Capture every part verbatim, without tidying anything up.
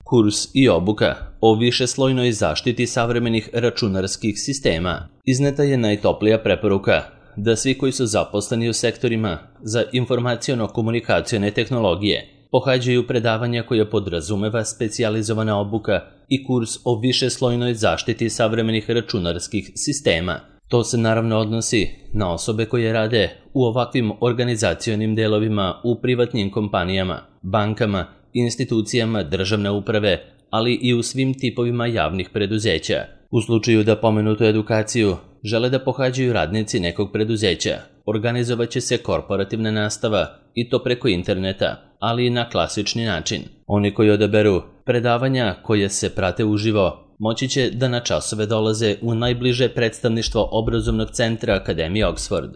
Kurs i obuka o višeslojnoj zaštiti savremenih računarskih sistema. Izneta je najtoplija preporuka da svi koji su zaposleni u sektorima za informaciono-komunikacione tehnologije pohađaju predavanja koja podrazumeva specijalizovana obuka i kurs o višeslojnoj zaštiti savremenih računarskih sistema. To se naravno odnosi na osobe koje rade u ovakvim organizacionim delovima u privatnim kompanijama, bankama, institucijama državne uprave, ali i u svim tipovima javnih preduzeća. U slučaju da pomenutu edukaciju žele da pohađaju radnici nekog preduzeća, organizovaće se korporativna nastava i to preko interneta, ali i na klasični način. Oni koji odaberu predavanja koje se prate uživo moći će da na časove dolaze u najbliže predstavništvo obrazovnog centra Akademije Oxford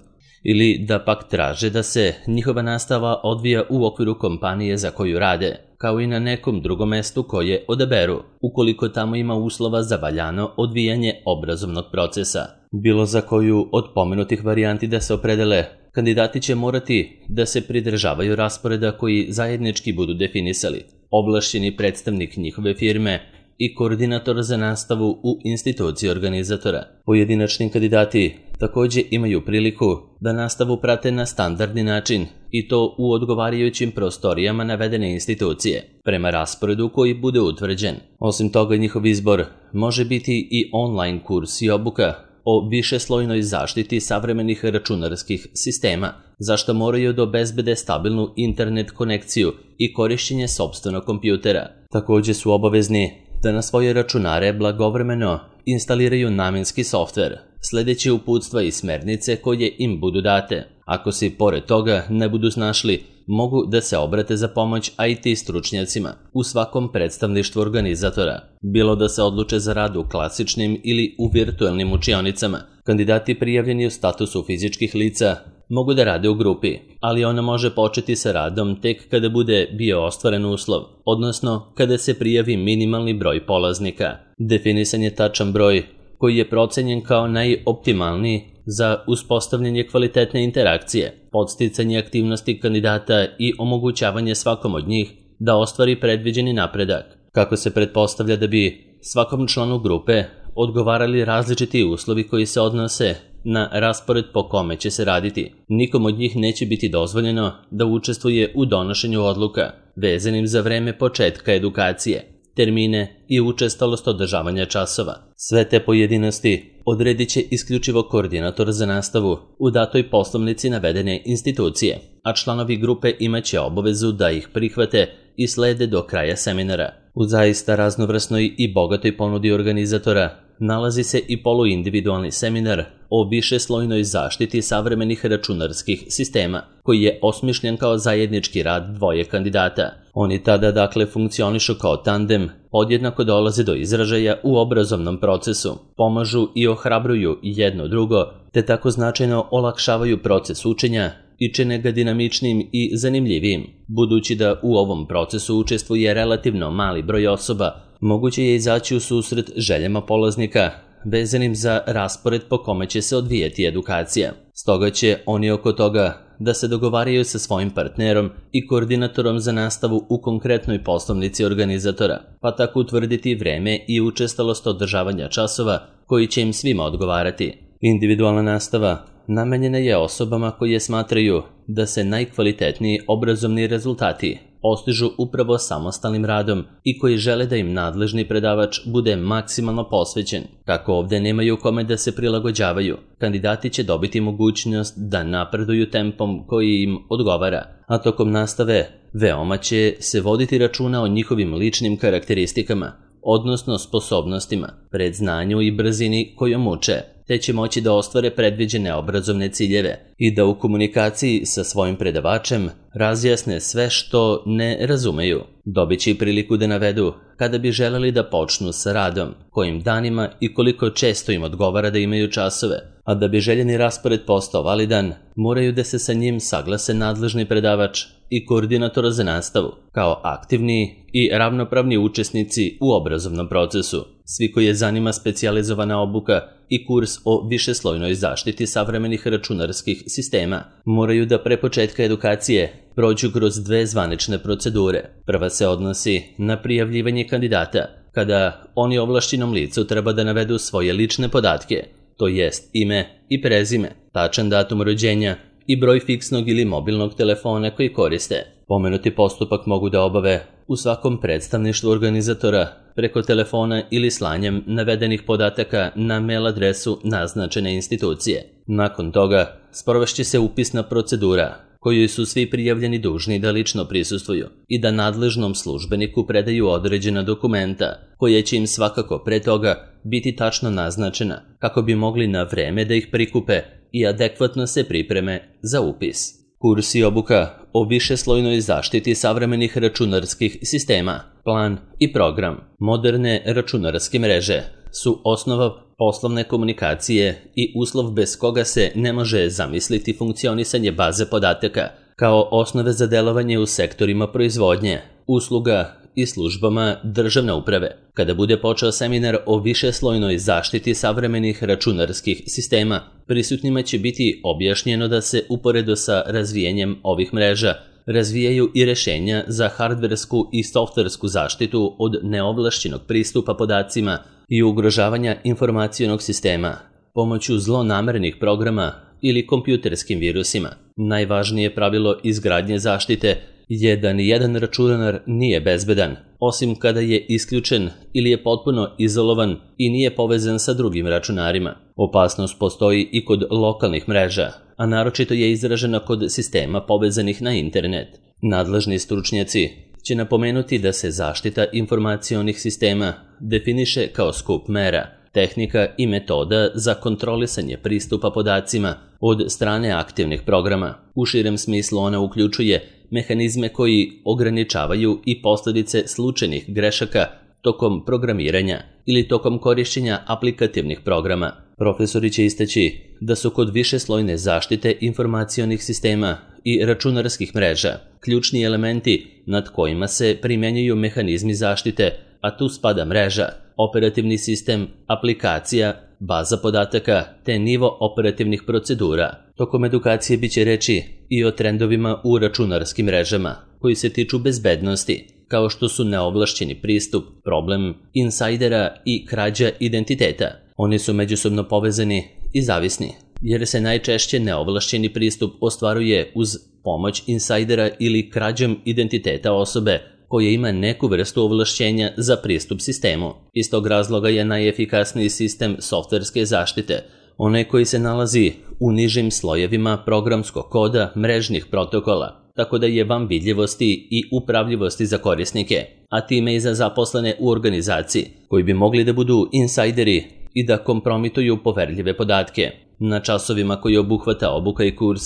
ili da pak traže da se njihova nastava odvija u okviru kompanije za koju rade, kao i na nekom drugom mestu koje odaberu, ukoliko tamo ima uslova za valjano odvijanje obrazovnog procesa. Bilo za koju od pomenutih varijanti da se opredele, kandidati će morati da se pridržavaju rasporeda koji zajednički budu definisali, ovlašćeni predstavnik njihove firme i koordinator za nastavu u instituciji organizatora. Pojedinačni kandidati takođe imaju priliku da nastavu prate na standardni način i to u odgovarajućim prostorijama navedene institucije, prema rasporedu koji bude utvrđen. Osim toga, njihov izbor može biti i online kurs i obuka o višeslojnoj zaštiti savremenih računarskih sistema, za što moraju da obezbede stabilnu internet konekciju i korišćenje sopstvenog kompjutera. Takođe su obavezni da na svoje računare blagovremeno instaliraju namenski softver, sledeći uputstva i smernice koje im budu date. Ako se pored toga ne budu snašli, mogu da se obrate za pomoć I T stručnjacima u svakom predstavništvu organizatora. Bilo da se odluče za rad u klasičnim ili u virtuelnim učionicama, kandidati prijavljeni u statusu fizičkih lica mogu da rade u grupi, ali ona može početi sa radom tek kada bude bio ostvaren uslov, odnosno kada se prijavi minimalni broj polaznika. Definisan je tačan broj koji je procenjen kao najoptimalniji za uspostavljanje kvalitetne interakcije, podsticanje aktivnosti kandidata i omogućavanje svakom od njih da ostvari predviđeni napredak. Kako se pretpostavlja da bi svakom članu grupe odgovarali različiti uslovi koji se odnose na raspored po kome će se raditi, nikom od njih neće biti dozvoljeno da učestvuje u donošenju odluka vezanim za vreme početka edukacije, termine i učestalost održavanja časova. Sve te pojedinosti odredit će isključivo koordinator za nastavu u datoj poslovnici navedene institucije, a članovi grupe imaće obavezu da ih prihvate i slede do kraja seminara. U zaista raznovrsnoj i bogatoj ponudi organizatora nalazi se i poluindividualni seminar o višeslojnoj zaštiti savremenih računarskih sistema, koji je osmišljen kao zajednički rad dvoje kandidata. Oni tada dakle funkcionišu kao tandem, podjednako dolaze do izražaja u obrazovnom procesu, pomažu i ohrabruju jedno drugo, te tako značajno olakšavaju proces učenja i čine ga dinamičnim i zanimljivijim. Budući da u ovom procesu učestvuje relativno mali broj osoba, moguće je izaći u susret željama polaznika vezanim za raspored po kome će se odvijeti edukacija. Stoga će oni oko toga da se dogovaraju sa svojim partnerom i koordinatorom za nastavu u konkretnoj poslovnici organizatora, pa tako utvrditi vreme i učestalost održavanja časova koji će im svima odgovarati. Individualna nastava namenjena je osobama koje smatraju da se najkvalitetniji obrazovni rezultati postižu upravo samostalnim radom i koji žele da im nadležni predavač bude maksimalno posvećen. Kako ovde nemaju kome da se prilagođavaju, kandidati će dobiti mogućnost da napreduju tempom koji im odgovara, a tokom nastave veoma će se voditi računa o njihovim ličnim karakteristikama, odnosno sposobnostima, predznanju i brzini kojom uče, te će moći da ostvare predviđene obrazovne ciljeve i da u komunikaciji sa svojim predavačem razjasne sve što ne razumeju. Dobit će i priliku da navedu kada bi želeli da počnu sa radom, kojim danima i koliko često im odgovara da imaju časove, a da bi željeni raspored postao validan, moraju da se sa njim saglase nadležni predavač i koordinator za nastavu, kao aktivni i ravnopravni učesnici u obrazovnom procesu. Svi koji je zanima specijalizovana obuka i kurs o višeslojnoj zaštiti savremenih računarskih sistema moraju da pre početka edukacije prođu kroz dve zvanične procedure. Prva se odnosi na prijavljivanje kandidata, kada oni ovlašćenom licu treba da navedu svoje lične podatke, to jest ime i prezime, tačan datum rođenja i broj fiksnog ili mobilnog telefona koji koriste. Pomenuti postupak mogu da obave u svakom predstavništvu organizatora preko telefona ili slanjem navedenih podataka na mail adresu naznačene institucije. Nakon toga sprovešće se upisna procedura kojoj su svi prijavljeni dužni da lično prisustvuju i da nadležnom službeniku predaju određena dokumenta koje će im svakako pre toga biti tačno naznačena kako bi mogli na vreme da ih prikupe i adekvatno se pripreme za upis. Kurs i obuka o višeslojnoj zaštiti savremenih računarskih sistema, plan i program moderne računarske mreže su osnova poslovne komunikacije i uslov bez koga se ne može zamisliti funkcionisanje baze podataka kao osnove za delovanje u sektorima proizvodnje, usluga i službama državne uprave. Kada bude počeo seminar o višeslojnoj zaštiti savremenih računarskih sistema, prisutnima će biti objašnjeno da se uporedo sa razvijanjem ovih mreža razvijaju i rešenja za hardversku i softversku zaštitu od neovlašćenog pristupa podacima i ugrožavanja informacionog sistema pomoću zlonamernih programa ili kompjuterskim virusima. Najvažnije pravilo izgradnje zaštite je da nijedan računar nije bezbedan, osim kada je isključen ili je potpuno izolovan i nije povezan sa drugim računarima. Opasnost postoji i kod lokalnih mreža, a naročito je izražena kod sistema povezanih na internet. Nadležni stručnjaci će napomenuti da se zaštita informacionih sistema definiše kao skup mera, tehnika i metoda za kontrolisanje pristupa podacima od strane aktivnih programa. U širem smislu ona uključuje mehanizme koji ograničavaju i posljedice slučajnih grešaka tokom programiranja ili tokom korišćenja aplikativnih programa. Profesori će istaći da su kod višeslojne zaštite informacionih sistema i računarskih mreža ključni elementi nad kojima se primjenjuju mehanizmi zaštite, a tu spada mreža, operativni sistem, aplikacija, baza podataka te nivo operativnih procedura. Tokom edukacije biće reči i o trendovima u računarskim mrežama koji se tiču bezbednosti, kao što su neovlašćeni pristup, problem insajdera i krađa identiteta. Oni su međusobno povezani i zavisni, jer se najčešće neovlašćeni pristup ostvaruje uz pomoć insajdera ili krađom identiteta osobe koja ima neku vrstu ovlašćenja za pristup sistemu. Iz tog razloga je najefikasniji sistem softverske zaštite, onaj koji se nalazi u nižim slojevima programskog koda mrežnih protokola, tako da je van vidljivosti i upravljivosti za korisnike, a time i za zaposlene u organizaciji, koji bi mogli da budu insajderi i da kompromituju poverljive podatke. Na časovima koji obuhvata obuka i kurs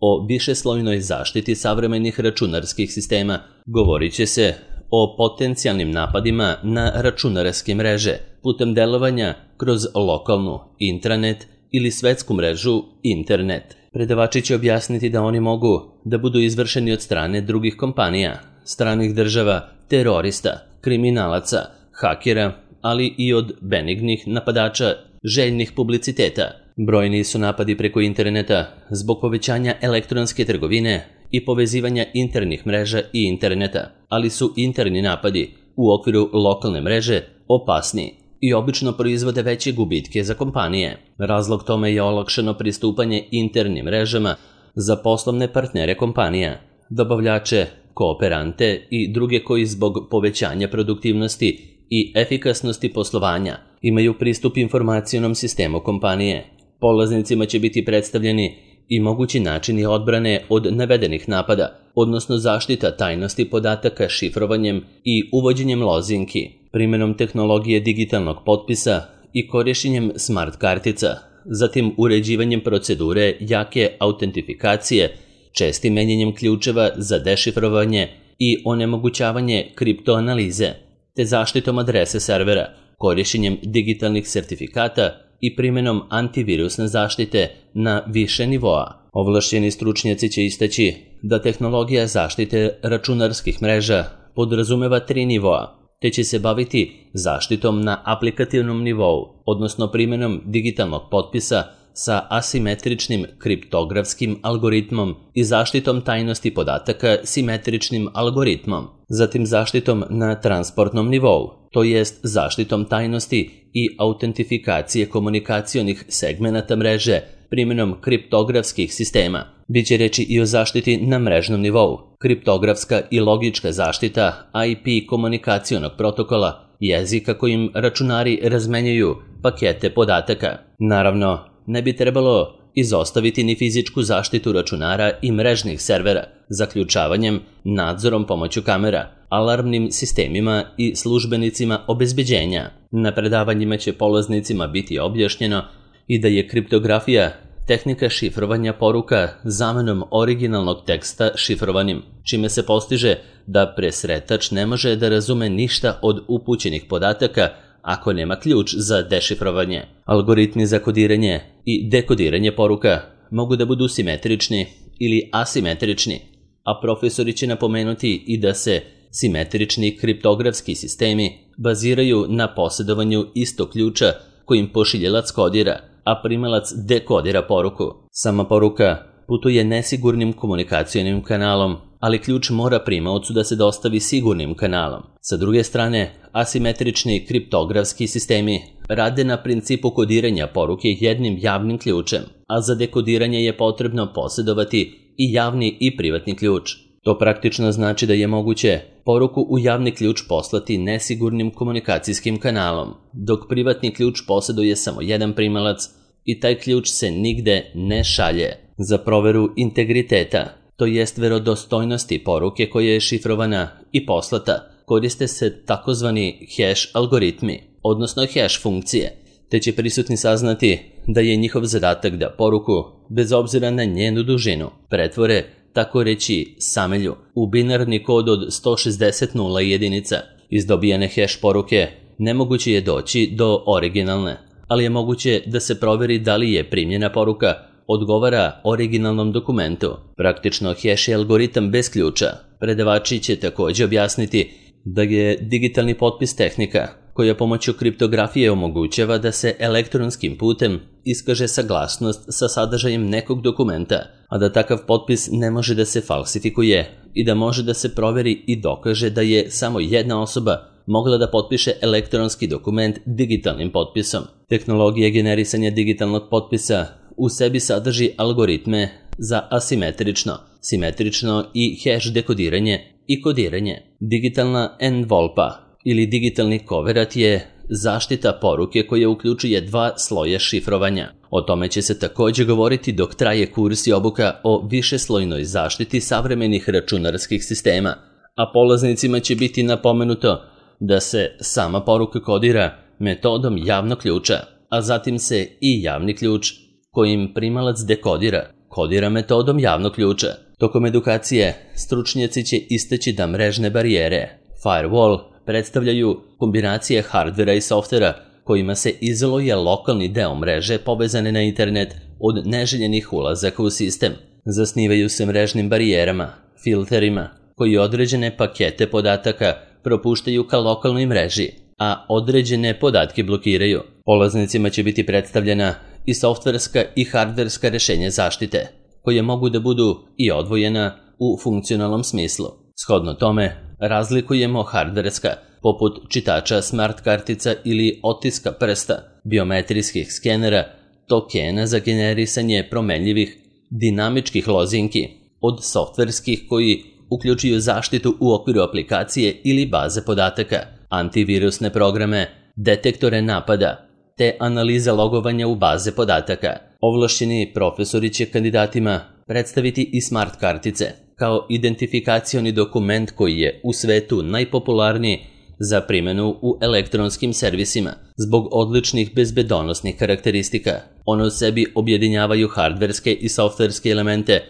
o višeslojnoj zaštiti savremenih računarskih sistema govorit će se o potencijalnim napadima na računarske mreže putem delovanja kroz lokalnu intranet ili svetsku mrežu internet. Predavači će objasniti da oni mogu da budu izvršeni od strane drugih kompanija, stranih država, terorista, kriminalaca, hakera, ali i od benignih napadača željnih publiciteta. Brojni su napadi preko interneta zbog povećanja elektronske trgovine i povezivanja internih mreža i interneta, ali su interni napadi u okviru lokalne mreže opasniji i obično proizvode veće gubitke za kompanije. Razlog tome je olakšano pristupanje internim mrežama za poslovne partnere kompanija, dobavljače, kooperante i druge koji zbog povećanja produktivnosti i efikasnosti poslovanja imaju pristup informacionom sistemu kompanije. Polaznicima će biti predstavljeni i mogući načini odbrane od navedenih napada, odnosno zaštita tajnosti podataka šifrovanjem i uvođenjem lozinki, primjenom tehnologije digitalnog potpisa i korišćenjem smart kartica, zatim uređivanjem procedure jake autentifikacije, čestim menjanjem ključeva za dešifrovanje i onemogućavanje kriptoanalize, te zaštitom adrese servera, korišćenjem digitalnih sertifikata i primjenom antivirusne zaštite na više nivoa. Ovlašćeni stručnjaci će istaći da tehnologija zaštite računarskih mreža podrazumeva tri nivoa. te će se baviti zaštitom na aplikativnom nivou, odnosno primjenom digitalnog potpisa sa asimetričnim kriptografskim algoritmom i zaštitom tajnosti podataka simetričnim algoritmom, zatim zaštitom na transportnom nivou, to jest zaštitom tajnosti i autentifikacije komunikacionih segmenata mreže primjenom kriptografskih sistema. Biće reći i o zaštiti na mrežnom nivou, kriptografska i logička zaštita I P komunikacionog protokola, jezika kojim računari razmenjuju pakete podataka. Naravno, ne bi trebalo izostaviti ni fizičku zaštitu računara i mrežnih servera, zaključavanjem, nadzorom pomoću kamera, alarmnim sistemima i službenicima obezbeđenja. Na predavanjima će polaznicima biti objašnjeno i da je kriptografija tehnika šifrovanja poruka zamenom originalnog teksta šifrovanim, čime se postiže da presretač ne može da razume ništa od upućenih podataka ako nema ključ za dešifrovanje. Algoritmi za kodiranje i dekodiranje poruka mogu da budu simetrični ili asimetrični, a profesori će napomenuti i da se simetrični kriptografski sistemi baziraju na posjedovanju istog ključa kojim pošiljilac kodira, a primalac dekodira poruku. Sama poruka putuje nesigurnim komunikacionim kanalom, ali ključ mora primaocu da se dostavi sigurnim kanalom. Sa druge strane, asimetrični kriptografski sistemi rade na principu kodiranja poruke jednim javnim ključem, a za dekodiranje je potrebno posjedovati i javni i privatni ključ. To praktično znači da je moguće poruku u javni ključ poslati nesigurnim komunikacijskim kanalom, dok privatni ključ posjeduje samo jedan primalac i taj ključ se nigde ne šalje. Za proveru integriteta, to jest verodostojnosti poruke koja je šifrovana i poslata, koriste se takozvani hash algoritmi, odnosno hash funkcije, te će prisutni saznati da je njihov zadatak da poruku, bez obzira na njenu dužinu, pretvore, tako reći, samelju, u binarni kod od sto šezdeset nula jedinica. Iz dobijane hash poruke nemoguće je doći do originalne, ali je moguće da se proveri da li je primljena poruka odgovara originalnom dokumentu. Praktično hash je algoritam bez ključa. Predavači će također objasniti da je digitalni potpis tehnika koja pomoću kriptografije omogućava da se elektronskim putem iskaže saglasnost sa sadržajem nekog dokumenta, a da takav potpis ne može da se falsifikuje i da može da se proveri i dokaže da je samo jedna osoba mogla da potpiše elektronski dokument digitalnim potpisom. Tehnologija generisanja digitalnog potpisa u sebi sadrži algoritme za asimetrično, simetrično i hash dekodiranje i kodiranje. Digitalna envolpa ili digitalni koverat je zaštita poruke koja uključuje dva sloja šifrovanja. O tome će se također govoriti dok traje kurs i obuka o višeslojnoj zaštiti savremenih računarskih sistema, a polaznicima će biti napomenuto da se sama poruka kodira metodom javnog ključa, a zatim se i javni ključ kojim primalac dekodira, kodira metodom javnog ključa. Tokom edukacije stručnjaci će istaći da mrežne barijere, firewall, predstavljaju kombinacije hardvera i softvera kojima se izoluje lokalni deo mreže povezane na internet od neželjenih ulazaka u sistem. Zasnivaju se mrežnim barijerama, filterima, koji određene pakete podataka propuštaju ka lokalnoj mreži, a određene podatke blokiraju. Polaznicima će biti predstavljena i softverska i hardverska rešenja zaštite, koje mogu da budu i odvojena u funkcionalnom smislu. Shodno tome, razlikujemo hardverska, poput čitača smart kartica ili otiska prsta, biometrijskih skenera, tokena za generisanje promenljivih dinamičkih lozinki, od softverskih koji uključuju zaštitu u okviru aplikacije ili baze podataka, antivirusne programe, detektore napada, te analize logovanja u baze podataka. Ovlašćeni profesori će kandidatima predstaviti i smart kartice, kao identifikacioni dokument koji je u svetu najpopularniji za primjenu u elektronskim servisima. Zbog odličnih bezbedonosnih karakteristika, one u sebi objedinjavaju hardverske i softverske elemente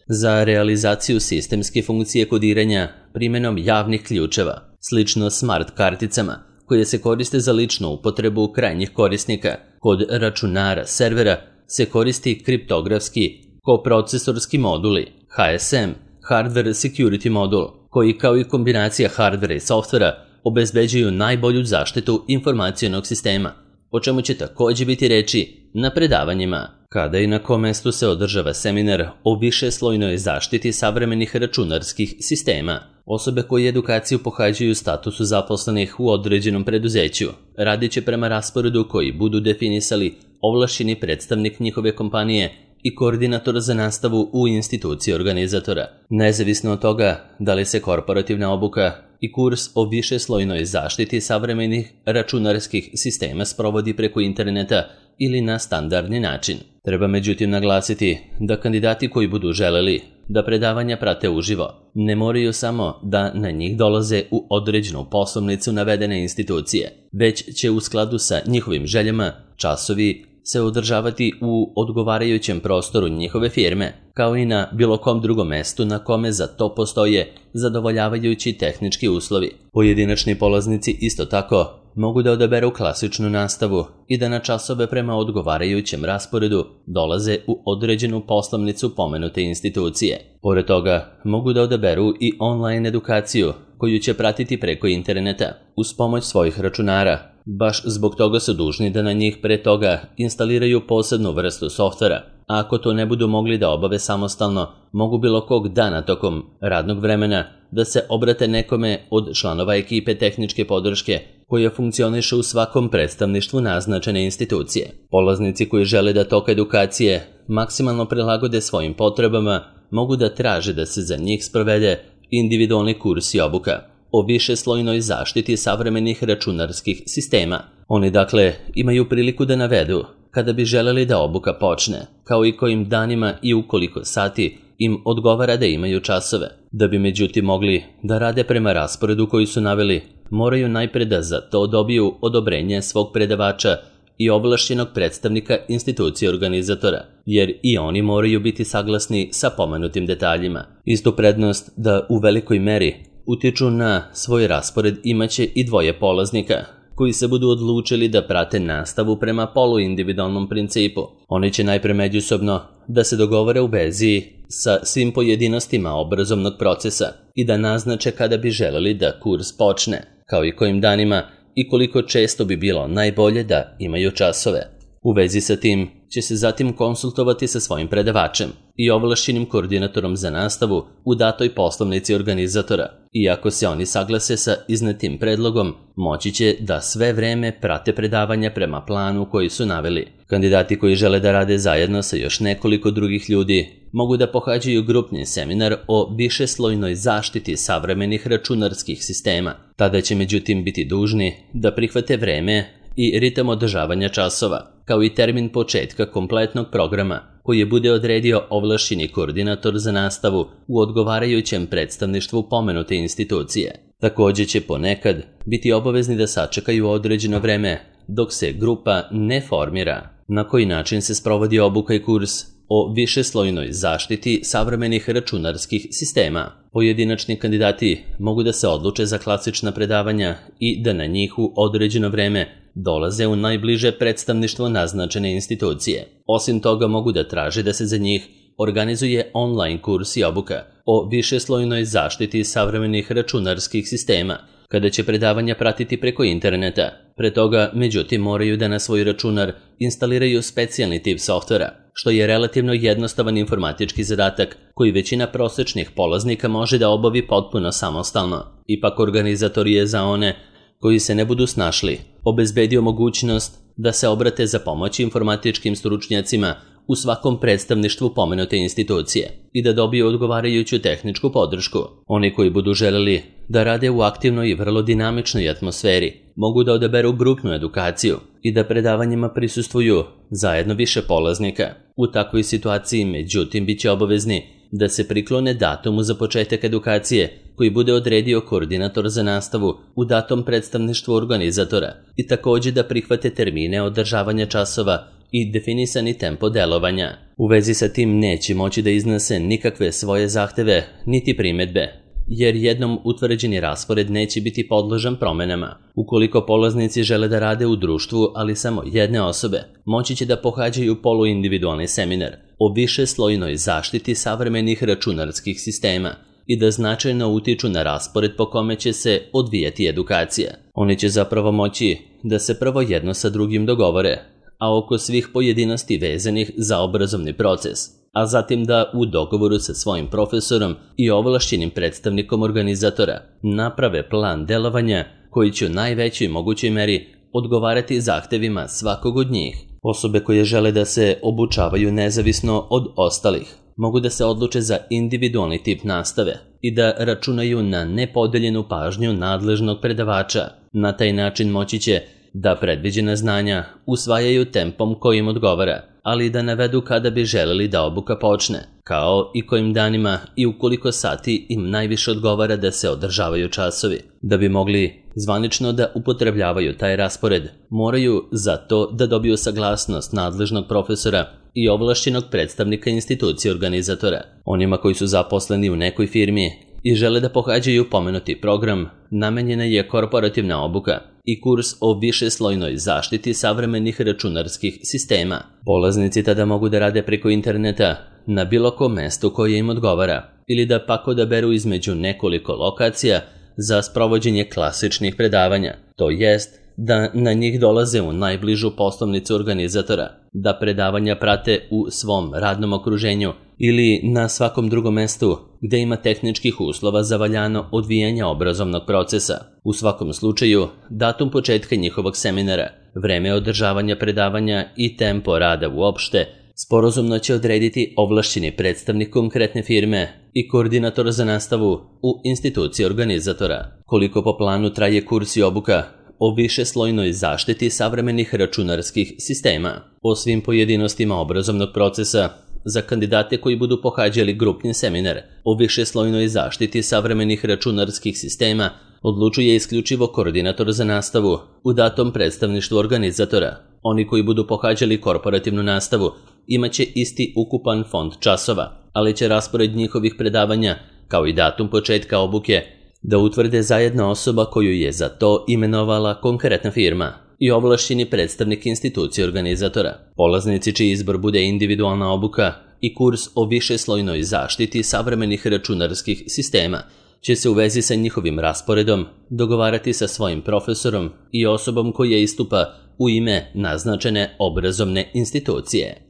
za realizaciju sistemske funkcije kodiranja primjenom javnih ključeva, slično smart karticama, koje se koriste za ličnu upotrebu krajnjih korisnika. Kod računara servera se koristi kriptografski koprocesorski moduli, H S M, Hardware Security Modul, koji kao i kombinacija hardvera i softvera obezbeđuju najbolju zaštitu informacionog sistema, o čemu će također biti reči na predavanjima. Kada i na kom mestu se održava seminar o višeslojnoj zaštiti savremenih računarskih sistema, osobe koje edukaciju pohađaju u statusu zaposlenih u određenom preduzeću radit će prema rasporedu koji budu definisali ovlašćeni predstavnik njihove kompanije i koordinator za nastavu u instituciji organizatora. Nezavisno od toga da li se korporativna obuka i kurs o višeslojnoj zaštiti savremenih računarskih sistema sprovodi preko interneta ili na standardni način. Treba međutim naglasiti da kandidati koji budu želeli da predavanja prate uživo ne moraju samo da na njih dolaze u određenu poslovnicu navedene institucije, već će u skladu sa njihovim željama časovi se održavati u odgovarajućem prostoru njihove firme, kao i na bilo kom drugom mestu na kome za to postoje zadovoljavajući tehnički uslovi. Pojedinačni polaznici isto tako mogu da odaberu klasičnu nastavu i da na časove prema odgovarajućem rasporedu dolaze u određenu poslovnicu pomenute institucije. Pored toga, mogu da odaberu i online edukaciju koju će pratiti preko interneta uz pomoć svojih računara. Baš zbog toga su dužni da na njih pre toga instaliraju posebnu vrstu softvera, a ako to ne budu mogli da obave samostalno, mogu bilo kog dana tokom radnog vremena da se obrate nekome od članova ekipe tehničke podrške koja funkcioniše u svakom predstavništvu naznačene institucije. Polaznici koji žele da tok edukacije maksimalno prilagode svojim potrebama mogu da traže da se za njih sprovede individualni kurs i obuka o višeslojnoj zaštiti savremenih računarskih sistema. Oni dakle imaju priliku da navedu kada bi želeli da obuka počne, kao i kojim danima i u koliko sati im odgovara da imaju časove. Da bi međutim mogli da rade prema rasporedu koji su naveli, moraju najpre da za to dobiju odobrenje svog predavača i ovlašćenog predstavnika institucije organizatora, jer i oni moraju biti saglasni sa pomenutim detaljima. Istu prednost da u velikoj meri utiču na svoj raspored imaće i dvoje polaznika, koji se budu odlučili da prate nastavu prema poluindividualnom principu. Oni će najpre međusobno da se dogovore u vezi sa svim pojedinostima obrazovnog procesa i da naznače kada bi želeli da kurs počne, kao i kojim danima i koliko često bi bilo najbolje da imaju časove. U vezi sa tim će se zatim konsultovati sa svojim predavačem i ovlašćenim koordinatorom za nastavu u datoj poslovnici organizatora. Iako se oni saglase sa iznetim predlogom, moći će da sve vreme prate predavanja prema planu koji su naveli. Kandidati koji žele da rade zajedno sa još nekoliko drugih ljudi mogu da pohađaju grupni seminar o višeslojnoj zaštiti savremenih računarskih sistema. Tada će međutim biti dužni da prihvate vreme i ritam održavanja časova, kao i termin početka kompletnog programa koji je bude odredio ovlašćeni koordinator za nastavu u odgovarajućem predstavništvu pomenute institucije. Također će ponekad biti obavezni da sačekaju određeno vreme dok se grupa ne formira. Na koji način se sprovodi obuka i kurs o višeslojnoj zaštiti savremenih računarskih sistema? Pojedinačni kandidati mogu da se odluče za klasična predavanja i da na njih u određeno vreme dolaze u najbliže predstavništvo naznačene institucije. Osim toga mogu da traže da se za njih organizuje online kurs i obuka o višeslojnoj zaštiti savremenih računarskih sistema, kada će predavanja pratiti preko interneta. Pre toga, međutim, moraju da na svoj računar instaliraju specijalni tip softvera, što je relativno jednostavan informatički zadatak koji većina prosečnih polaznika može da obavi potpuno samostalno. Ipak organizator je za one koji se ne budu snašli obezbedio mogućnost da se obrate za pomoć informatičkim stručnjacima u svakom predstavništvu pomenute institucije i da dobiju odgovarajuću tehničku podršku. Oni koji budu želeli da rade u aktivnoj i vrlo dinamičnoj atmosferi mogu da odaberu grupnu edukaciju i da predavanjima prisustvuju zajedno više polaznika. U takvoj situaciji, međutim, bit će obavezni da se priklone datumu za početak edukacije koji bude odredio koordinator za nastavu u datom predstavništvu organizatora i također da prihvate termine održavanja časova i definisani tempo delovanja. U vezi sa tim neće moći da iznese nikakve svoje zahteve niti primedbe, jer jednom utvrđeni raspored neće biti podložan promenama. Ukoliko polaznici žele da rade u društvu, ali samo jedne osobe, moći će da pohađaju poluindividualni seminar o višeslojnoj zaštiti savremenih računarskih sistema, i da značajno utiču na raspored po kome će se odvijati edukacija. Oni će zapravo moći da se prvo jedno sa drugim dogovore, a oko svih pojedinosti vezanih za obrazovni proces, a zatim da u dogovoru sa svojim profesorom i ovlašćenim predstavnikom organizatora naprave plan delovanja koji će u najvećoj mogućoj meri odgovarati zahtevima svakog od njih. Osobe koje žele da se obučavaju nezavisno od ostalih mogu da se odluče za individualni tip nastave i da računaju na nepodeljenu pažnju nadležnog predavača. Na taj način moći će da predviđena znanja usvajaju tempom kojim odgovara, ali i da navedu kada bi želeli da obuka počne, kao i kojim danima i u koliko sati im najviše odgovara da se održavaju časovi. Da bi mogli zvanično da upotrebljavaju taj raspored, moraju za to da dobiju saglasnost nadležnog profesora i ovlašćenog predstavnika institucije organizatora. Onima koji su zaposleni u nekoj firmi i žele da pohađaju pomenuti program, namenjena je korporativna obuka i kurs o višeslojnoj zaštiti savremenih računarskih sistema. Polaznici tada mogu da rade preko interneta na bilo kom mestu koje im odgovara ili da pak odaberu između nekoliko lokacija za sprovođenje klasičnih predavanja, to jest da na njih dolaze u najbližu poslovnicu organizatora, da predavanja prate u svom radnom okruženju ili na svakom drugom mestu gde ima tehničkih uslova za valjano odvijanje obrazovnog procesa. U svakom slučaju, datum početka njihovog seminara, vreme održavanja predavanja i tempo rada uopšte sporazumno će odrediti ovlašćeni predstavnik konkretne firme i koordinator za nastavu u instituciji organizatora. Koliko po planu traje kurs i obuka o višeslojnoj zaštiti savremenih računarskih sistema. O svim pojedinostima obrazovnog procesa za kandidate koji budu pohađali grupni seminar o višeslojnoj zaštiti savremenih računarskih sistema odlučuje isključivo koordinator za nastavu u datom predstavništvu organizatora. Oni koji budu pohađali korporativnu nastavu imaće isti ukupan fond časova, ali će raspored njihovih predavanja, kao i datum početka obuke, da utvrde zajedno osoba koju je za to imenovala konkretna firma i ovlašćeni predstavnik institucije organizatora. Polaznici čiji izbor bude individualna obuka i kurs o višeslojnoj zaštiti savremenih računarskih sistema će se u vezi sa njihovim rasporedom dogovarati sa svojim profesorom i osobom koja istupa u ime naznačene obrazovne institucije.